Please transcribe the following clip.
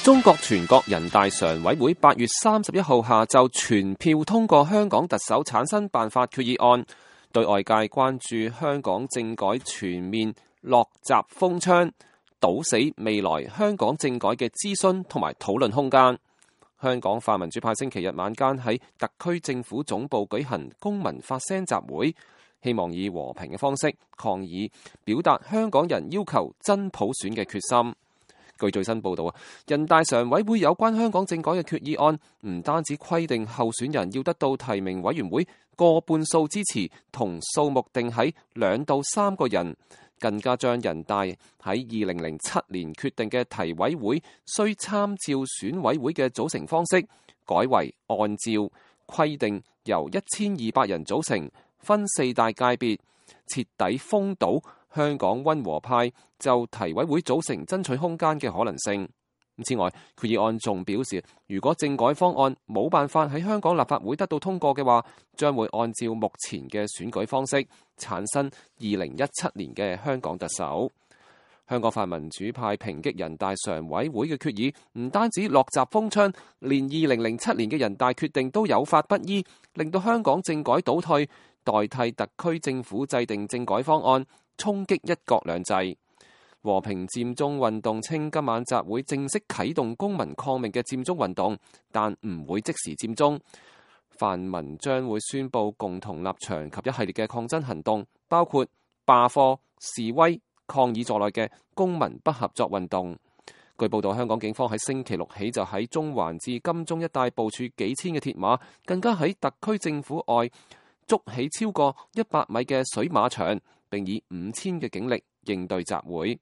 中國全國人大常委會8月31號下晝全票通過香港特首產生辦法決議案，對外界關注香港政改全面落閘封槍，堵死未來香港政改嘅諮詢同埋討論空間。香港泛民主派星期日晚間喺特區政府總部舉行公民發聲集會，希望以和平嘅方式抗議，表達香港人要求真普選嘅決心。據最新報道，人大常委會有關香港政改嘅決議案，唔單止規定候選人要得到提名委員會過半數支持，同數目定喺2到3個人，更加將人大喺2007年決定嘅提委會需參照選委會嘅組成方式，改為按照規定由1200人組成，分4大界別，徹底封堵香港溫和派就提委會組成爭取空間嘅可能性。此外，決議案仲表示，如果政改方案冇辦法喺香港立法會得到通過嘅話，將會按照目前嘅選舉方式產生2017年嘅香港特首。香港泛民主派抨擊人大常委會嘅決議，唔單止落閘封槍，連2007年嘅人大決定都有法不依，令到香港政改倒退，代替特區政府制定政改方案，衝擊一國兩制。和平佔中運動稱今晚集會正式啟動公民抗命嘅佔中運動，但唔會即時佔中。泛民將會宣布共同立場及一系列嘅抗爭行動，包括罷課、示威、抗議在內嘅公民不合作運動。據報道，香港警方喺星期六起就喺中環至金鐘一帶部署幾千嘅鐵馬，更加喺特區政府外築起超過100米嘅水馬場，並以5000嘅警力應對集會。